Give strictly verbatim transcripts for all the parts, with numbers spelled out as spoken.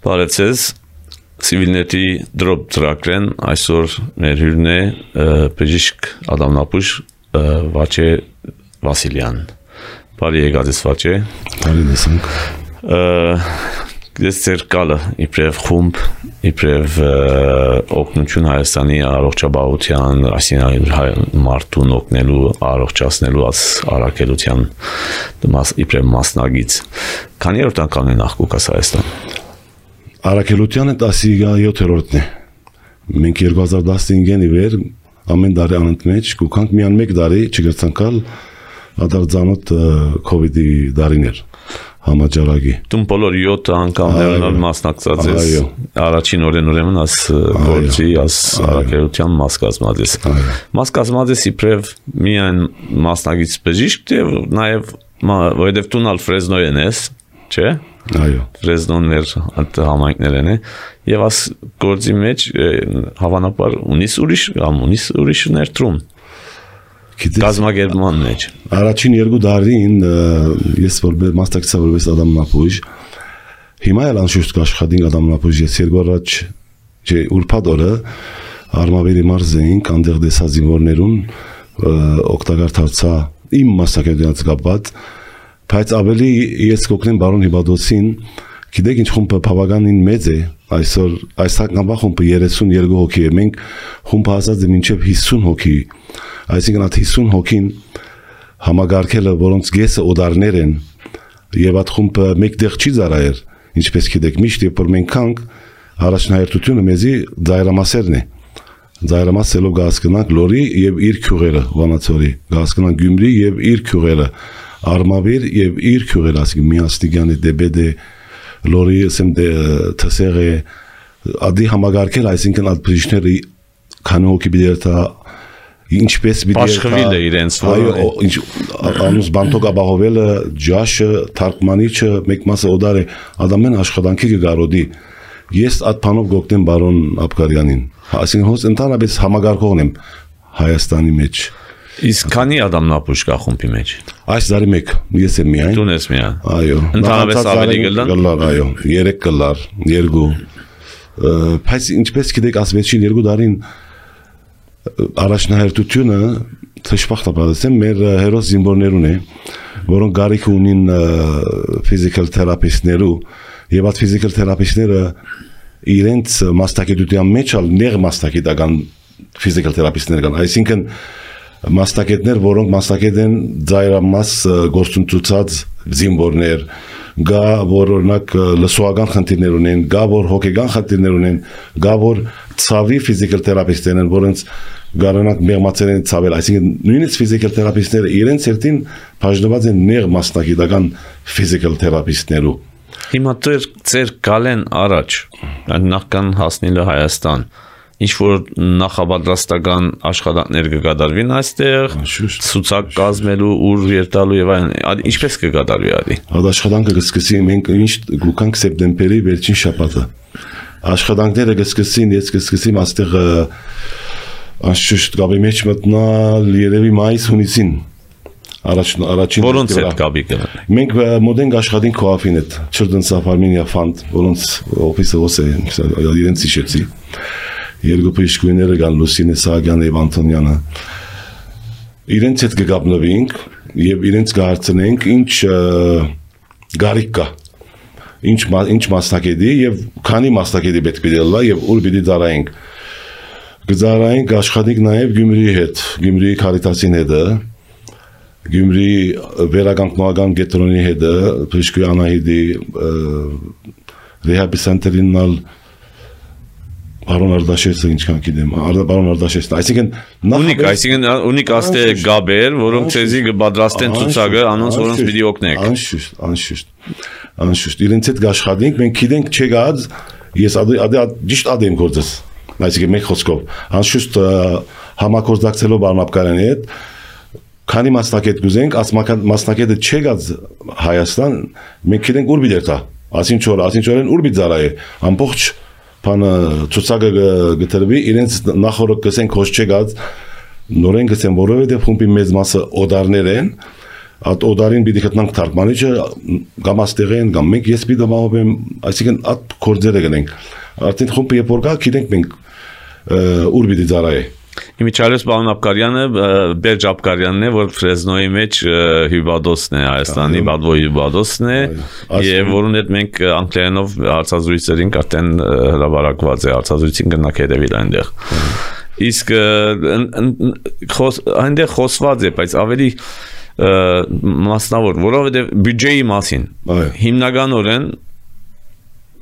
Բարեցես, Civilnet-ի դրոպ ծրագրեն այսօր մեր հյուրն է բժիշկ ադամնապուշ Վաչե Վասիլյան։ Բարի եկած ես Վաչե։ Բարի դեսանք։ Ես ձեր կալը իբրև խումբ, իբրև օգնություն Հայաստանի առողջապահության, այսինքն մարդուն օգնելու, առողջացնելու առաքելության իբրև մասնագիծ։ Քանի օրտան կանեն աղբուկաս Հայաստան։ Առաքելությանը տասնյոթերորդն է։ Մենք երկու հազար տասնհինգին ի վեր ամեն տարի անընդմեջ գուքանք միան մեկ տարի չգրցանքալ ադարձանոտ կովիդի տարիներ համաճարակի։ Դու բոլոր յոթ անգամներն մասնակցած ես։ Առաջին օրեն ուրեմն աս գործի, աս առաքելության մաս կազմած ես։ Մաս կազմած ես իբրև միայն մասնագիծ բժիշկ, նաև որովհետև դու նալ Ֆրեզնոյեն ես, չէ՞։ Այո։ Ֆրեզնոներ համայնքներն է եւ աս գործի մեջ հավանաբար ունիս ուրիշ կամ ունիս ուրիշ ներդրում կազմակերպման մեջ առաջին երկու տարին ես որպես մասնակցա որպես ադամնապուշ հիմա էլ անշուշտ կաշխատենք ադամնապուշ ես երկու առաջ չէ ուրբաթ օրը արմավերի մարզեինք անդեղ դեսա զինվորներուն օգտակար դարձա իմ մասնակցությունից կապված բայց ավելի ես կօգնեմ բարոն Հիբադոսին գիտեք ինչ խումբը բավականին մեծ է այսօր այս հանգամա խումբը երեսունյոթ հոգի է մենք խումբը հասած է մինչև հիսուն հոգի այսինքն այդ հիսուն հոգին համագարկելը որոնց գեսը օդարներ են եւ այդ խումբը մեկտեղ չի ծառայել ինչպես գիտեք միշտ երբ որ մենք կանք առաջնահերթությունը մեզի ծայրամասերն է ծայրամասելով գասկնանք լորի եւ իր քյուղերը վանացորի գասկնանք գյումրի եւ իր քյուղերը արմավիր եւ իր քյուղերը ասի միաստիգյանի դեբեդե լորի ասեմ դե թսերը ադի համագարկել այսինքն այդ բժիշկները քանի հոգի բիդերտա ինչպես բիդերտա իրենց այո ինչ անուս բանտոկ ապահովելը ջաշը թարգմանիչը մեկ մասը օդար է ադամեն աշխատանքի կգարոդի ես այդ բանով գոկտեմ բարոն Աբգարյանին այսինքն հոս ընդհանրապես համագարկողն եմ Հայաստանի մեջ Իսկ քանի ադամնապուշ կա խումբի մեջ այս տարի մեկ ես եմ միայն Դու ես միայն այո ընդհանրապես ավելի գլար այո երեք գլար երկու բայց ինչպես գիտեք ասվեցին երկու տարին առաջնահերթությունը թշվախտաբար ասեմ մեր հերոս զինվորներուն է որոնք գարիք ունին ֆիզիկալ թերապիստներու եւ այդ ֆիզիկալ թերապիստները իրենց մասնագիտության մեջ ալ ներ մասնագիտական ֆիզիկալ թերապիստներ կան այսինքն մասնակետներ, որոնք մասնակետ են ծայրամաս գործընթացած զինվորներ, գա որ օրինակ լսողական խնդիրներ ունեն, գա որ հոգեգան խնդիրներ ունեն, գա որ ցավի ֆիզիկալ թերապիստներ են, որոնց գարանակ մեղմացել են ցավել, այսինքն նույնիսկ ֆիզիկալ թերապիստները իրենց երթին բաժնված են նեղ մասնակիտական ֆիզիկալ թերապիստներու։ Հիմա դեր ձեր գալեն առաջ, նախքան հասնելը Հայաստան ինչ որ նախապատրաստական աշխատանքներ կկատարվին այստեղ ցուցակ կազմելու ուր երթալու եւ այլն ինչպես կկատարվի ադի այդ աշխատանքը կսկսի մենք ինչ գուքանք սեպտեմբերի վերջին շաբաթը աշխատանքները կսկսին ես կսկսեմ այստեղ անշուշտ գաբի մեջ մտնալ երևի մայիս հունիսին առաջ առաջին որոնց հետ կապի կգնա մենք մոդենք աշխատենք քոաֆին հետ Children's of Armenia Fund որոնց օֆիսը ոսե իրենց իջեցի երկու բժիշկուները կան Լուսինե Սահակյանը եւ Անտոնյանը իրենց հետ կգապնվենք եւ իրենց կհարցնենք ինչ գարիք կա ինչ ինչ մասնակետի եւ քանի մասնակետի պետք է դելա եւ ուր պիտի ծառայենք կծառայենք աշխատենք նաեւ Գյումրիի հետ Գյումրիի Քարիտասին հետ Գյումրի վերականգնական կենտրոնի հետ բժիշկի Անահիտի ռեհաբիլիտացիոնալ Բարոն Արդաշեսը ինչքան գիտեմ, բարոն Արդաշեսը, այսինքն ունիկ, այսինքն ունիկ աստե գաբեր, որոնք ցեզի կպատրաստեն ցուցակը, անոնց որոնց պիտի օգնեք։ Անշուշտ, անշուշտ, անշուշտ, իրենց հետ աշխատենք, մենք գիտենք չեկած, ես ադե ճիշտ ադեմ գործս, այսինքն մեկ խոսքով, անշուշտ համագործակցելով բարոն Աբգարյանի հետ, քանի մասնակետ գուզենք, մասնակետը չեկած Հայաստան, մենք գիտենք ուր բիդերտա, ասին չոր, ասին չորեն ուր բիդզարայ է, ամբողջ Բանը ցուցակը գտնվի իրենց նախորդ կսենք հոս չեկած նորեն գսեն որովհետև խումբի մեծ մասը օդարներ են At օդարին պիտի գտնանք թարգմանիչը կամ աստեղեն կամ մենք ես պիտի մահոբեմ, այսինքն at կորձերը գնենք։ Արդեն խումբը երբ որ գա, գիտենք մենք ուր պիտի ծառայե։ Իմիջիալս պարոն Աբկարյանը Բերջ Աբկարյանն է, որ Ֆրեզնոյի մեջ հյուբադոսն է Հայաստանի բադվոյի հյուբադոսն է, եւ որուն հետ մենք անգլերենով հարցազրույցեր ենք արդեն հրապարակված է, հարցազրույցին գնանք հետևել այնտեղ։ Իսկ այնտեղ խոսված է, բայց ավելի մասնավոր, որովհետև բյուջեի մասին հիմնականորեն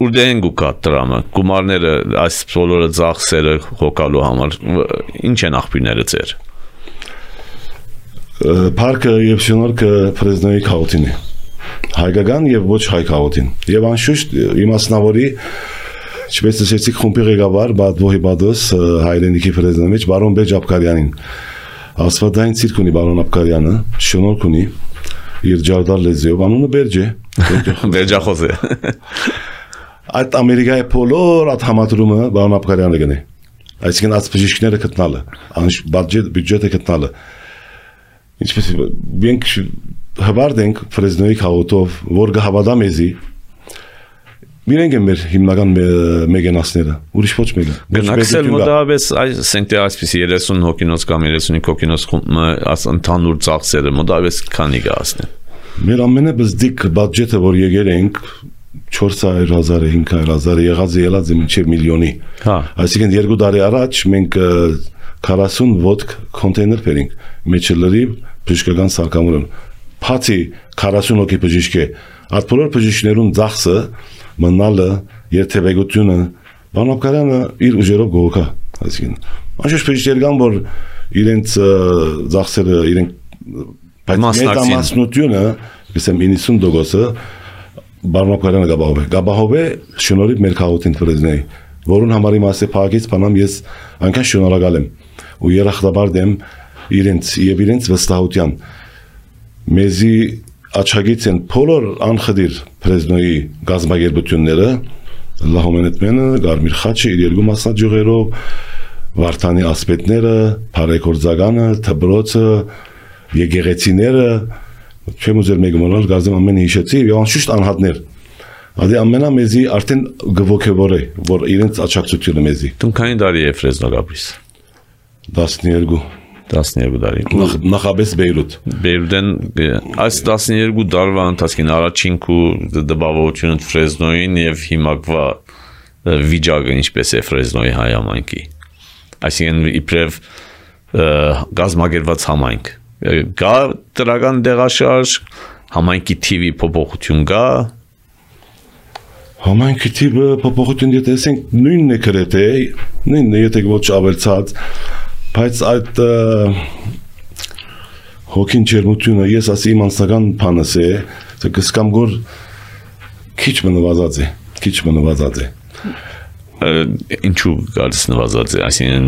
Ուրդեն գուկա տրամը, գումարները այս բոլորը ծախսերը հոգալու համար, ինչ են աղբյուրները ձեր։ Պարկը և շնորհքը Ֆրեզնոյի քաղաքին է, հայկական և ոչ հայ քաղաքին, և անշուշտ իմասնավորի, ինչպես ասեցիք խումբի ղեկավար Բադվոհի Բադոս հայրենիքի Ֆրեզնոյի մեջ բարոն Բերջ Աբկարյանին, աստվածային ցիրկ ունի բարոն Աբկարյանը, շնորհք ունի իր ջարդար լեզվով, անունը Բերջ է, Բերջախոս է։ Այդ Ամերիկայի բոլոր այդ համադրումը բարոն Աբկարյանը գնե։ Այսինքն այդ բժիշկները գտնալը, բյուջետը գտնալը։ Ինչպես մենք հվարդենք Ֆրեզնոյի քաղաքով, որ գհավատա մեզի, իրենք են մեր հիմնական մեգենասները, ուրիշ ոչ մեկը։ Գնակսել մոտավորապես այսինքն այսպիսի երեսուն հոգինոց կամ երեսունի հոգինոց ընդհանուր ծախսերը մոտավորապես քանի կհասնեն։ Մեր ամենաբզդիկ բյուջետը, որ եկել ենք չորս հարյուր հազար, հինգ հարյուր հազար եղած ելած է մինչև միլիոնի։ Այսինքն երկու տարի առաջ մենք քառասուն ոդկ կոնտեյներ բերենք, մեջը լրիվ բժշկական սարքավորում։ Բացի քառասուն հոգի բժիշկ է, այդ բոլոր բժիշկներուն ծախսը, մնալը, երթևեկությունը, բարոն Աբկարյանը իր ուժերով գողոքա, այսինքն անշուշտ բժիշկներ կան, որ իրենց ծախսերը իրենք մեծամասնությունը, ասեմ իննսուն տոկոսը Բարոն Աբկարյանը գաբահով է, գաբահով է շնորհիվ մեր քաղաքին Ֆրեզնոյի, որուն համարի մասը փակից բանամ ես այնքան շնորհակալ եմ ու երախտաբար եմ իրենց եւ իրենց վստահության մեզի աչագից են բոլոր անխդիր Ֆրեզնոյի գազագերբությունները լահոմենետմենը, Գարմիր խաչը իր երկու մասնաճյուղերով, Վարդանի ասպետները, Փարեգորձականը, Թբրոցը, եկեղեցիները չեմ ուզել մեկը մոռալ, գազեմ ամեն հիշեցի եւ անշուշտ անհատներ։ Ադի ամենամեզի արդեն գվոքեվոր է, որ իրենց աչակցությունը մեզի։ Դու քանի տարի է Ֆրեզնո գաբիս։ տասներկու տասներկու տարի։ Նախաբես Բեյրութ։ Բեյրութեն այս տասներկու տարվա ընթացքին առաջին քու դպավությունը Ֆրեզնոյին եւ հիմակվա վիճակը ինչպես է Ֆրեզնոյի հայ համայնքի։ Այսինքն իբրև գազագերված համայնք Գա տրական դեղաշարժ, համայնքի թիվի փոփոխություն գա։ Համայնքի թիվը փոփոխություն եթե ասենք նույնն է գրեթե, նույնն է եթե ոչ ավելցած, բայց այդ հոգին ջերմությունը ես ասի իմ անձնական բանս է, թե կսկամ գոր քիչ մնվածած է, քիչ մնվածած է։ Ինչու գալիս նվազած է, այսինքն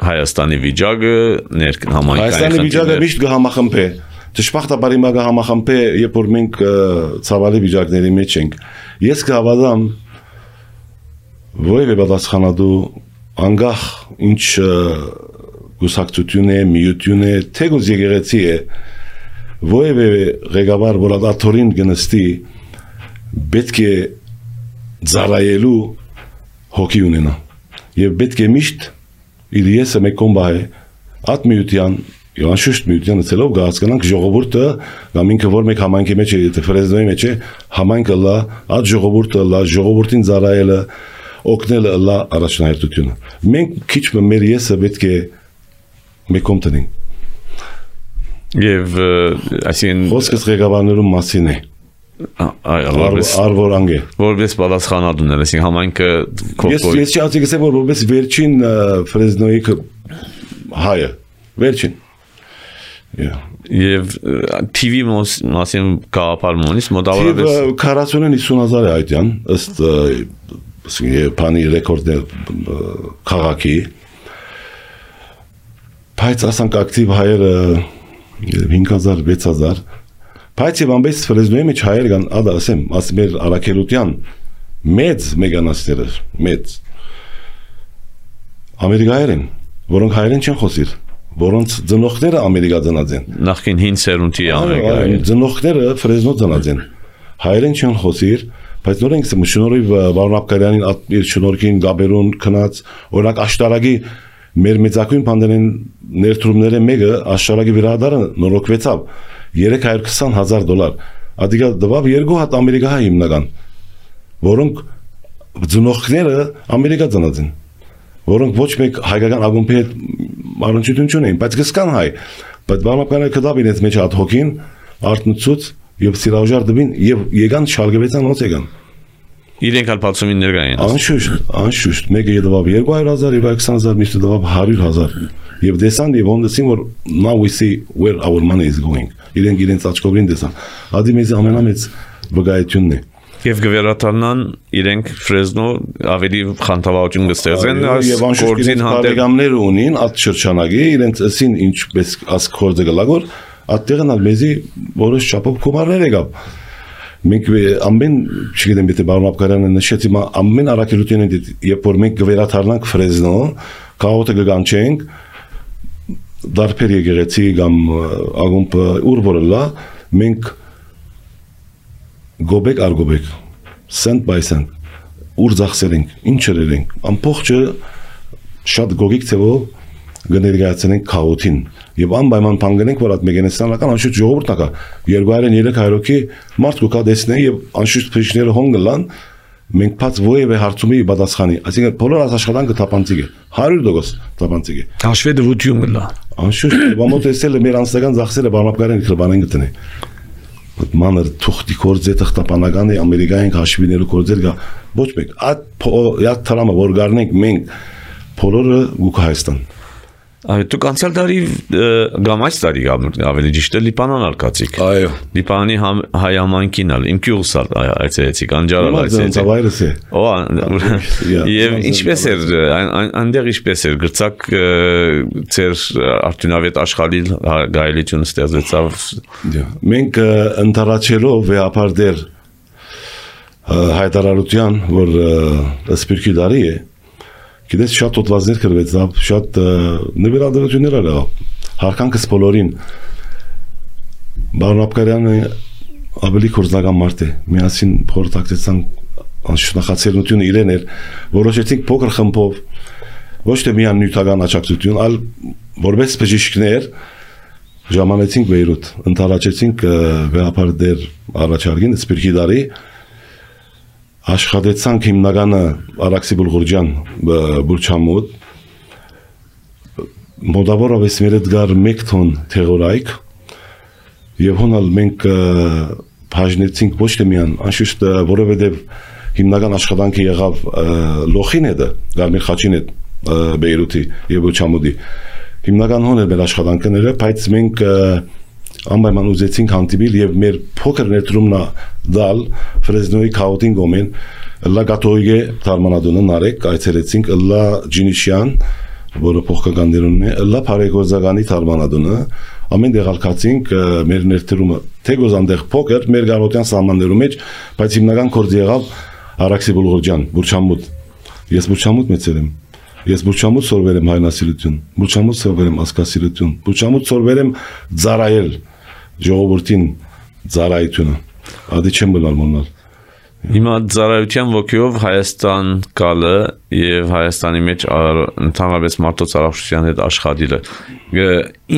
Հայաստանի վիճակը համայնքային Հայաստանի վիճակը միշտ կհամախմբե, դժբախտաբար հիմա կհամախմբե, երբ որ մենք ցավալի վիճակների մեջ ենք։ Ես կհավատամ, որևէ պատասխանատու անգախ ինչ գուսակցություն է, միություն է, թեկուզ եկեղեցի է, որևէ ղեկավար, որ աթորին գնստի, պետք է ծառայելու հոգի ունենա եւ պետք է միշտ իր եսը մեկ կոմբահե at միության եւ անշուշտ միությանը ցելով գահացկանանք ժողովուրդը կամ ինքը որ մեկ համայնքի մեջ է եթե Ֆրեզնոյի մեջ է համայնքը լա at ժողովուրդը լա ժողովրդին ծառայելը օգնելը լա առաջնահերթությունը մենք քիչ մեր եսը պետք է մեկ կոմ տնենք եւ այսինքն խոսքս ղեկավարներու մասին է Արվոր անգե որպես պատասխանատուներ, այսինքն համայնքը Ես ես չասի գսեմ որ որպես վերջին Ֆրեզնոյի հայը, վերջին։ Եվ թիվի մասին գաղափարումից մոտավորապես քառասունին հիսուն հազար է այդյան, ըստ բանի ռեկորդներ քաղաքի, բայց ասանք ակտիվ հայերը հինգ հազար, վեց հազար Բայց եւ ամբես Ֆրեզնոյի մեջ հայեր կան, ադա ասեմ, աս մեր Արաքելության մեծ մեգանասները, մեծ ամերիկայեր են, որոնք հայերեն չեն խոսիր, որոնց ծնողները Ամերիկա ծնած են։ Նախքին հին սերունդի Ամերիկա։ Ծնողները Ֆրեզնո ծնած են։ Հայերեն չեն խոսիր, բայց նորենք շնորհիվ Վարոն Աբկարյանին իր շնորհքին Գաբերուն քնած, օրինակ աշտարակի մեր մեծակույն բանդերեն ներդրումները մեկը աշտարակի վիրահատարը նորոգվեցավ երեք հարյուր քսան հազար դոլար։ Ադիգա դվավ երկու հատ Ամերիկա հիմնական, որոնք ծնողները Ամերիկա ծնած են, որոնք ոչ մեկ հայկական ակումբի հետ առնչություն չունեն, բայց կսկան հայ, բայց Վարոն Աբկարյանը կդավ իրենց մեջ հատ հոգին, արտնուցուց եւ սիրաժար դվին եւ եկան շալգվեցան ոնց եկան իրենք ալ բացումին ներկա են անշուշտ անշուշտ մեկը դվավ երկու հարյուր հազար եւ քսան հազար միշտ դվավ հարյուր հազար եւ դեսան եւ ոնդեսին որ now we see where our money is going իրենք իրենց աչքովին դեսան ադի մեզ ամենամեծ վկայությունն է եւ գվերատանան իրենք Ֆրեզնո ավելի խանդավառություն կստեղծեն եւ անշուշտ հանդերգամներ ունին այդ շրջանագի իրենց ասին ինչպես աս կորձը գլագոր Ատեղն ալ մեզի որոշ չափով կոմարներ եկավ։ Մենք ամեն, չգիտեմ, եթե Վարոն Աբկարյանը նշեցի, ամեն առաքելությունը երբ որ մենք գվերաթարնանք Ֆրեզնո, քաղաքը կգանչենք, դարբեր եկեղեցի կամ ակումբ ուր որ լա, մենք գոբեկ առ գոբեկ, cent by cent, ուր ծախսել ենք, ինչ երենք, ամբողջը շատ գոգիկ թվով գներգացնենք քաղաքին եւ անպայման բանգնենք որ այդ մեգենեսանական անշուշտ ժողովուրդն ակա երկու հարյուր երեք հարյուրի մարդ կուկա դեսնեն եւ անշուշտ փիչները հոնգլան մենք բաց ովևէ հարցումի պատասխանի այսինքն բոլոր աշխատանքը թափանցիկ է հարյուր տոկոս թափանցիկ է հաշվի դրություն կլա անշուշտ բամոտ էսել մեր անձնական ծախսերը Վարոն Աբկարյանը քրբանեն գտնի մանր թուղթի կորձը տխտապանական է ամերիկային հաշվիներու կորձեր գա ոչ մեկ այդ յա թրամը որ գարնենք մենք բոլորը գուք Հայաստան Դուք անցյալ տարի կամ այս տարի ավելի ճիշտ է Լիբանան արկացիք։ Այո։ Լիբանանի հայ համայնքին ալ իմ գյուղս այցելեցիք, անջարալ այցելեցիք։ Օ, եւ ինչպես էր այնտեղ ինչպես էր գրծակ ծեր արդյունավետ աշխարհի գայելություն ստեղծեցավ։ Մենք ընթառաջելով վեհապար դեր հայտարարության, որ սպիրկի դարի է Գիտես շատ օտվածներ կրվեցավ, շատ նվիրատվություններ ալավ, հարկանքս բոլորին, Վարոն Աբկարյանը ավելի կորձնական մարդ է, միասին փորձակցեցան անշնախացելությունը իրեն էր, որոշեցինք փոքր խմբով, ոչ թե միան նյութական աջակցություն, այլ որպես բժիշկներ ժամանեցինք Բեյրութ, ընթառաջեցինք վեհապար դեր առաջարկին սպիրկի դարի Աշխատեցանք հիմնականը Արաքսի Բուլղուրջյան Բուրչամուտ մոտավորապես մեր դգար մեկ տոն թեղորայք եւ հոնալ մենք բաժնեցինք ոչ թե միան անշուշտ որովհետեւ հիմնական աշխատանքը եղավ լոխին հետը Գարմիր Խաչին հետ Բեյրութի եւ Բուրչամուտի հիմնական հոն էր մեր աշխատանքները բայց մենք անպայման ուզեցինք հանդիպել եւ մեր փոքր ներդրումն դալ Ֆրեզնոյի քաղաքին գոմեն լա գատոյգե թարմանադոնը նարեկ այցելեցինք լա Ջինիշյան որը փոխկականներունն է լա Փարեգոզագանի թարմանադոնը ամեն դեղալքացինք մեր ներդրումը թեգոզանդեղ փոքր մեր գարոտյան սահմաններում մեջ բայց հիմնական կորձ եղավ Արաքսի Բուլղուրջյան Բուրչամուտ ես Բուրչամուտ մեծել եմ Ես Բուրչամուտ սորվել եմ հայնասիրություն, Բուրչամուտ սորվել եմ ասկասիրություն, Բուրչամուտ սորվել եմ ծառայել ժողովրդին ծառայությունը, ադի չեմ գնալ մոնալ։ Հիմա ծառայության ոգիով Հայաստան գալը եւ Հայաստանի մեջ ընդհանրապես մարդոց առողջության հետ աշխատելը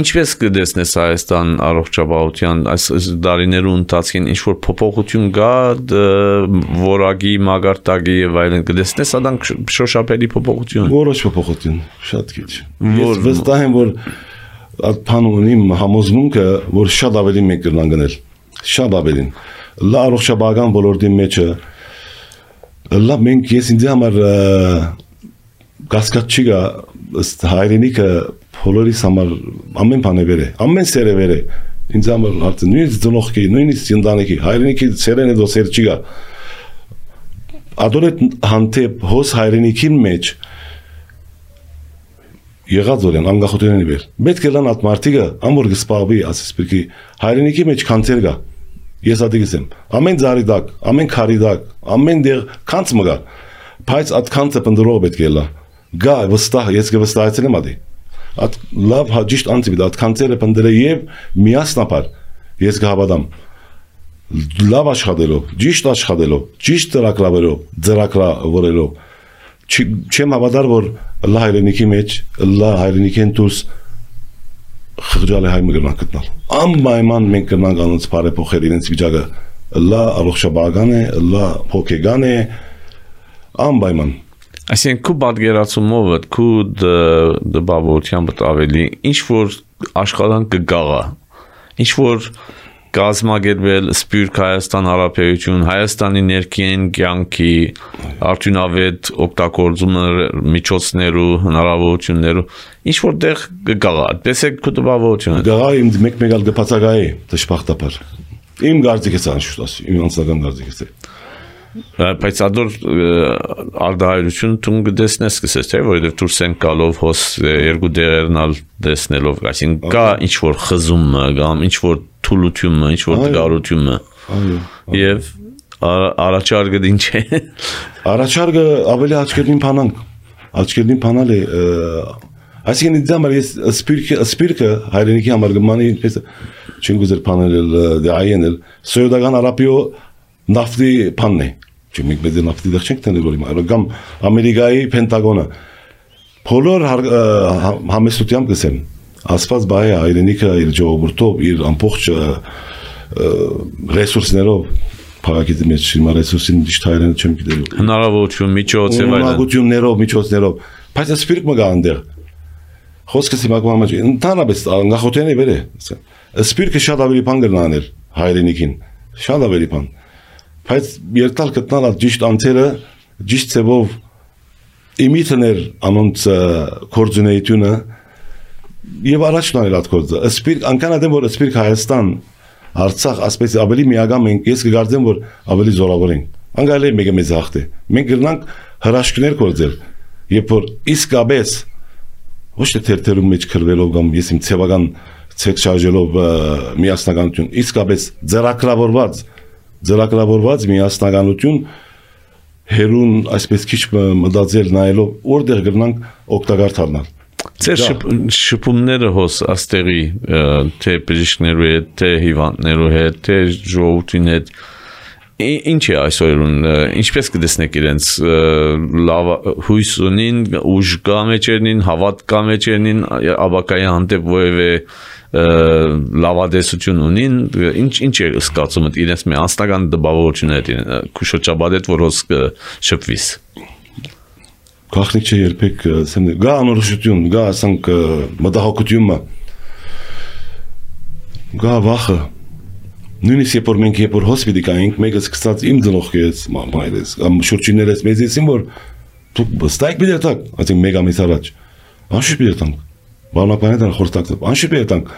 ինչպես կդեսնես Հայաստան առողջապահության այս դարիներու ընթացքին ինչ որ փոփոխություն կա որակի մագարտակի եւ այլն կդեսնես ադանք շոշափելի փոփոխություն որոշ փոփոխություն շատ քիչ ես վստահ եմ որ այդ բանունի համոզմունքը որ շատ ավելի մեկ կրնան գնել շատ ավելին լա առողջապահական ոլորտի մեջը լա մենք ես ինձ համար կասկած չի գա հայրենիքը բոլորիս համար ամեն բան է վեր է ամեն սեր է վեր է ինձ համար հարցը նույնիսկ ծնողքի նույնիսկ ընտանիքի հայրենիքի սերեն է դո սեր չի գա ադորետ հանդեպ հոս հայրենիքին մեջ եղած օրեն անկախությունների վեր պետք է լան այդ մարդիկը ամոր գսպաղվի ասես պրկի հայրենիքի մեջ կանցեր գա Ես ադիգս եմ, ամեն ձարի դակ, ամեն քարի դակ, ամեն դեղ կանց մգա, բայց այդ կանցը պնդրող պետք է լա, գա վստահ, ես կվստահեցել եմ ադի, Այդ լավ հաջիշտ անցիվիդ այդ կանցերը պնդել եւ միասնապար ես կհավատամ լավ աշխատելով, ճիշտ աշխատելով, ճիշտ ծրագրավորելով, ծրագրավորելով չեմ հավատար որ լա հայրենիքի մեջ, լա հայրենիքեն դուրս խղճալ է հայ մգրնան գտնալ։ Անպայման մենք կրնանք անոնց բարեփոխել իրենց վիճակը, լա առողջապահական է, լա հոգեգան է, անպայման։ Այսինքն քու պատկերացումով քու դպավորությամբ ավելի ինչ որ աշխատանք կգաղա, ինչ որ կազմակերպել Սփյուռք Հայաստան Հանրապետություն, Հայաստանի ներքին կյանքի արդյունավետ օգտագործումը միջոցներու, հնարավորություններու, ինչ որտեղ կգաղա, տեսեք քու տպավորությունը։ Գաղա իմ մեկ-մեկ ալ գփածագայի դժբախտաբար։ Իմ գարձիկս անշուշտ ասի, իմ անձնական գարձիկս է։ Բայց ադոր արդահայրություն տուն կդեսնես կսես, թե որովհետև դուրս են գալով հոս երկու դերերնալ դեսնելով, այսինքն կա ինչ որ խզումը, կամ ինչ որ թուլությունը, ինչ որ դգարությունը։ Եվ առաջարկը ինչ է։ Առաջարկը ավելի աչքերին փանանք, աչքերին փանալ է, այսինքն ինձ համար ես սպիրկը սպիրկը հայրենիքի համար գմանի պես չեն գուզեր փանել դե այենել սոյդական արապիո նավթի փանն է, չէ՞ մենք մեծ նավթի դեռ չենք տնել որի մայր, կամ Ամերիկայի Պենտագոնը, բոլոր համեստությամբ գսեն, ասված բայ է հայրենիքը իր ժողովուրդով, իր ամբողջ ռեսուրսներով, փակագիտի մեջ հիմա ռեսուրսին ճիշտ հայերեն չեմ գիտելու։ Հնարավորություն, միջոց եւ այլն։ Հնարավորություններով, միջոցներով, բայց սպիրկ մը գա այնտեղ։ Խոսքս հիմա կոմա մեջ, ընդհանրապես նախոտենի վեր է։ Սպիրկը շատ ավելի բան կրնաներ հայրենիքին, շատ ավելի բան։ Բայց երթալ գտնալ այդ ճիշտ անձերը, ճիշտ ծևով իմիցներ անոնց կորձունեությունը եւ առաջ նայել այդ կորձը։ Սպիրկ անկան ադեմ որ սպիրկ Հայաստան, Արցախ ասպես ավելի միագամ ենք, ես կգարձեմ որ ավելի զորավոր ենք։ Անգալի մեկը մեծ հաղթ է։ Մենք գտնանք հրաշքներ կորձել, երբ որ իսկապես ոչ թե թերթերում մեջ քրվելով կամ ես իմ ցեվական ցեկ շարժելով միասնականություն, իսկապես ձեռագրավորված ձեռագրավորված միասնականություն հերուն այսպես քիչ մտածել նայելով որտեղ գտնանք օգտակար դառնալ։ Ձեր շփումները հոս աստեղի թե բժիշկներու հետ, թե հիվանդներու հետ, թե ժողովրդի հետ ինչ է այսօրուն, ինչպես կտեսնեք իրենց լավ հույս ունին, ուժ կա մեջերնին, հավատ կա մեջերնին, աբակայի հանդեպ որևէ լավադեսություն ունին, ինչ ինչ է սկացումը իրենց մի անձնական դպավորություն հետ քուշոչաբադ հետ որ հոս շփվիս։ Գախնիկ չէ երբեք գա անորոշություն, գա ասանք մտահոգությունը, գա վախը, նույնիսկ երբ որ մենք երբ որ հոսպիտալ կայինք, մեկը սկսած իմ ծնողքից, մայրս, կամ շուրջիներս մեզ ասին որ դուք ստայք բիդետակ, ասենք մեկ ամիս առաջ, անշուշտ բիդետանք, բանականետան խորտակտով, անշուշտ բիդետանք,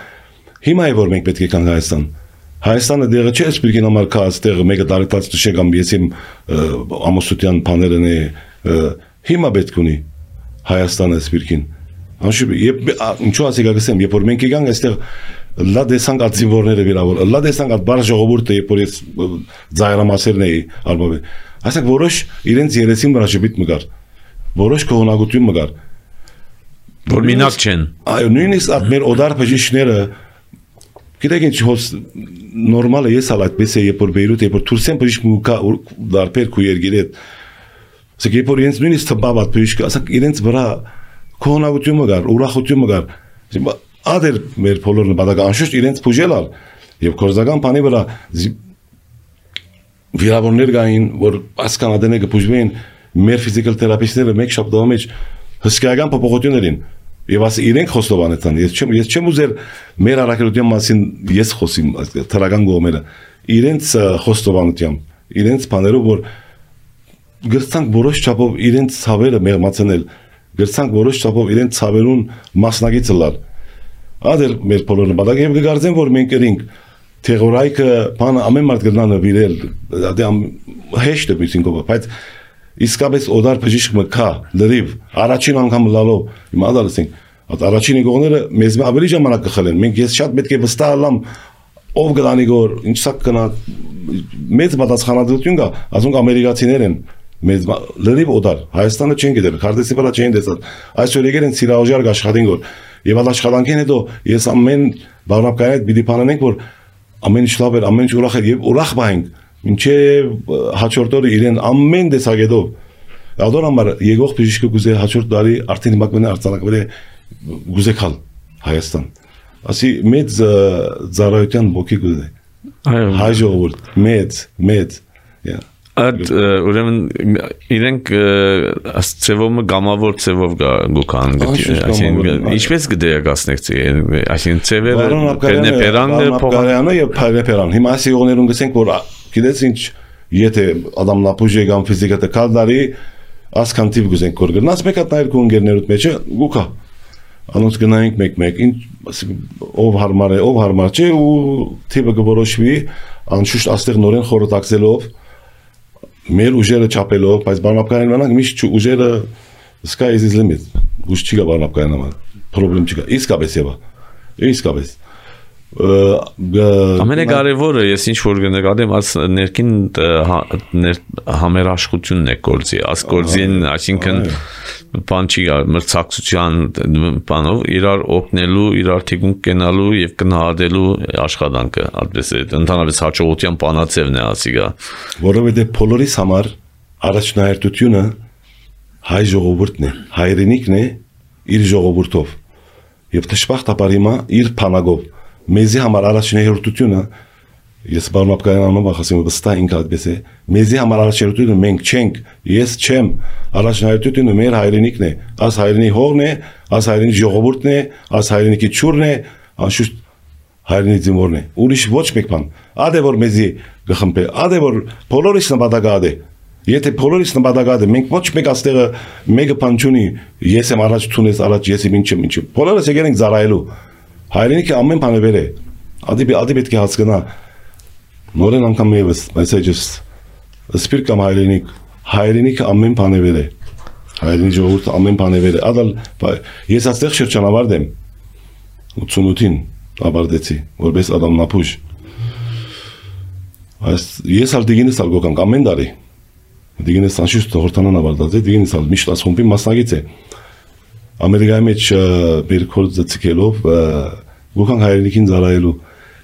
հիմա է որ մենք պետք է կանք Հայաստան, Հայաստանը դեղը չէ սպիրկին համար կա աստեղը մեկը դարեկտած տշե կամ ես իմ ամուսության պաներն է Հիմա պետք ունի Հայաստանը սպիրկին։ Անշուշտ, ինչու ասի գասեմ, երբ որ մենք եկանք այստեղ լա դեսանք այդ զինվորները վիրավոր, լա դեսանք այդ բարձ ժողովուրդը, երբ որ ես ձայրամասերն էի արմավել։ Այսինքն որոշ իրենց երեսին վրա շփիտ մգար, որոշ կողոնակություն մգար։ Որ մինակ չեն։ Այո, նույնիսկ այդ մեր օդար բժիշկները գիտեք ինչ հոս նորմալ է ես ալ այդպես է երբ որ Բեյրութ, երբ որ Թուրքիան բժիշկ դարբեր քու երգիրի հետ Սա երբ որ իրենց նույնիսկ թվաբատ բժիշկը, ասենք իրենց վրա կողոնակություն մգար, ուրախություն մգար։ Ադեր մեր բոլոր նպատակը անշուշտ իրենց բուժել ալ եւ կորզական բանի վրա վիրավորներ գային, որ ասկան ադենը կբուժվեն մեր ֆիզիկալ թերապիստները մեկ շաբթի մեջ հսկայական փոփոխություններին եւ ասի իրենք խոստովանեցան։ Ես չեմ ես չեմ ուզեր մեր առաքելության մասին ես խոսիմ թրական գոմերը։ Իրենց խոստովանությամբ, իրենց բաներով որ գրցանք որոշ չափով իրենց ցավերը մեղմացնել, գրցանք որոշ չափով իրենց ցավերուն մասնակիցը լալ։ Ադեր մեր բոլոր նպատակը եւ կգարձեմ որ մենք երինք թերորայքը բանը ամեն մարդ գտնա նվիրել, դա հեշտ է բիսինկով, բայց իսկապես օդար բժիշկը կա լրիվ առաջին անգամ լալով հիմա դալսենք, այդ առաջին գողները մեզ ավելի ժամանակ կխլեն, մենք ես շատ պետք է վստահ ալամ ով գտանի գոր, ինչ սա կնա մեծ պատասխանատվություն կա, ասենք ամերիկացիներ են մեծ լրիվ օդար, Հայաստանը չեն գիտել, քարտեզի վրա չեն դեսած, այսօր եկել են սիրահարժար աշխատին գոր, Եվ այդ աշխատանքին հետո ես ամեն բառնապկային հետ պիտի բանանենք, որ ամեն ինչ լավ էր, ամեն ինչ ուրախ էր եւ ուրախ բանք, մինչեւ հաջորդ օրը իրեն ամեն տեսակետով Ադոր համար եկող բժիշկը գուզե հաջորդ տարի արդեն հիմա կմնա արձանագրել գուզե քալ Հայաստան։ Ասի մեծ ծառայության ոգի գուզե։ Հայ ժողովուրդ մեծ մեծ։ Այդ ուրեմն իրենք ասծևոմը գամավոր ծևով գուքան գտի։ Այսինքն ինչպես կդերակացնեք, այսինքն ծևերը պերնեպերանն փոխարինը եւ պերնեպերան։ Հիմա ասի ողներուն գսենք որ գիտես ինչ եթե Ադամ Նապուժի կամ ֆիզիկա տակալդարի ասքան տիպ գուզենք որ գնաց մեկ հատ նայր քո ընկերներուդ մեջը գուքա անոնց գնայինք մեկ-մեկ ինչ ով հարմար է ով հարմար չէ ու տիպը գորոշվի անշուշտ աստեղ նորեն խորոտակցելով մեր ուժերը չափելով բայց բանապկային մնանք միշտ ուժերը sky is the limit ուժ չի գա բանապկային համար պրոբլեմ չի գա իսկապես եվա իսկապես Ամենակարևորը ես ինչ որ գնկադեմ աս ներքին համերաշխությունն է գործի աս գործին այսինքն բան չի գա մրցակցության բանով իրար օգնելու իրար թիկունք կենալու եւ գնահատելու աշխատանքը այդպես է ընդհանրապես հաջողության բանացևն է ասի գա որովհետեւ բոլորիս համար առաջնահերթությունը հայ ժողովուրդն է հայրենիքն է իր ժողովուրդով եւ դժբախտաբար հիմա իր փանագով Մեզի համար առաջնահերթությունը ես բառնապկային անունով ասեմ վստահ ինքը այդպես է մեզի համար առաջնահերթությունը մենք չենք ես չեմ առաջնահերթությունը մեր հայրենիքն է աս հայրենի հողն է աս հայրենի ժողովուրդն է աս հայրենիքի ճուրն է անշուշտ հայրենի ձմորն է ուրիշ ոչ մեկ բան ադե որ մեզի գխմբե ադե որ բոլորիս նպատակად է եթե բոլորիս նպատակად է մենք ոչ մեկ աստեղը մեկը բան չունի ես եմ առաջ ցունես առաջ ես եմ ինչեմ ինչը բոլորս եկել ենք զարայելու Հայրենիքը ամեն բան է վեր է։ Ադի ադի պետք է հասկանա նորեն անգամ եւս, բայց այջս սպիրտ կամ հայրենիք, հայրենիքը ամեն բան է վեր է։ Հայրենի ժողովուրդը ամեն բան է վեր է։ Ադալ ես այստեղ շրջանավարդ եմ ութսունութին ավարտեցի, որպես Ադամ Նապուժ։ Այս ես ալ դիգինս ալ գոկանք ամեն տարի։ Դիգինս անշուշտ հորտանան ավարտած է, դիգինս ալ միշտ ասխումբի մասնագետ է։ Ամերիկայի մեջ մեր կորձը ցկելով գոքան հայրենիքին զարայելու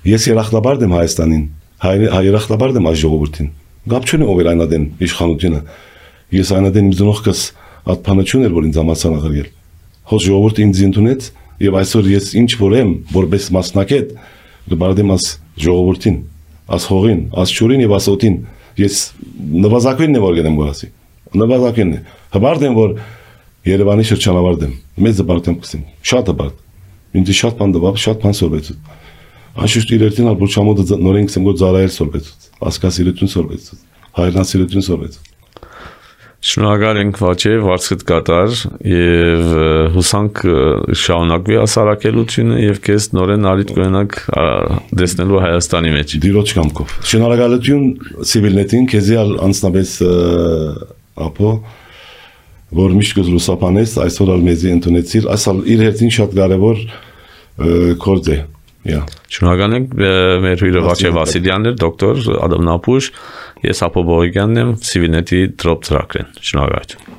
ես երախտաբարդ եմ Հայաստանին երախտաբարդ եմ այս ժողովրդին գապ չունի ով էր այնադեն իշխանությունը ես այնադեն իմ զնողքս ատփանություն էր որ ինձ ամասան աղրել հոս ժողովուրդը ինձ ընդունեց եւ այսօր ես ինչ որ եմ որպես մասնակետ գբարդեմ աս ժողովրդին աս հողին աս ճուրին եւ աս օտին ես նվազագույնն է որ գնեմ գորասի նվազագույնն է հբարդ եմ որ Երևանի շրջանավարդ եմ, մեծ դպարտ եմ կսեմ, շատ դպարտ, ինձ շատ բան դվավ, շատ բան սորվեցուց, անշուշտ իրերտին ալ բուրջամոդը նորեն կսեմ գոտ զարայել սորվեցուց, ասկասիրություն սորվեցուց, հայրնասիրություն սորվեցուց։ Շնորհակալ ենք Վաչե, վարձքդ կատար եւ հուսանք շարունակվի ասարակելությունը եւ քեզ նորեն արիտ կունենաք դեսնելու Հայաստանի մեջ։ Դիրոջ կամքով։ Շնորհակալություն Civilnet-ին, քեզի ալ անձնապես ապո որ միշտ կզլուսապանես, այսօր ալ մեզի ընդունեցիր, այսալ իր հերթին շատ կարևոր կորձ է։ Շնորհակալ ենք մեր հյուրը Վաչե Վասիլյանն էր, դոկտոր Ադամ Նապուժ, ես Ապո Բողոյանն եմ, Civilnet-ի դրոպ ծրագրեն։ Շնորհակալություն։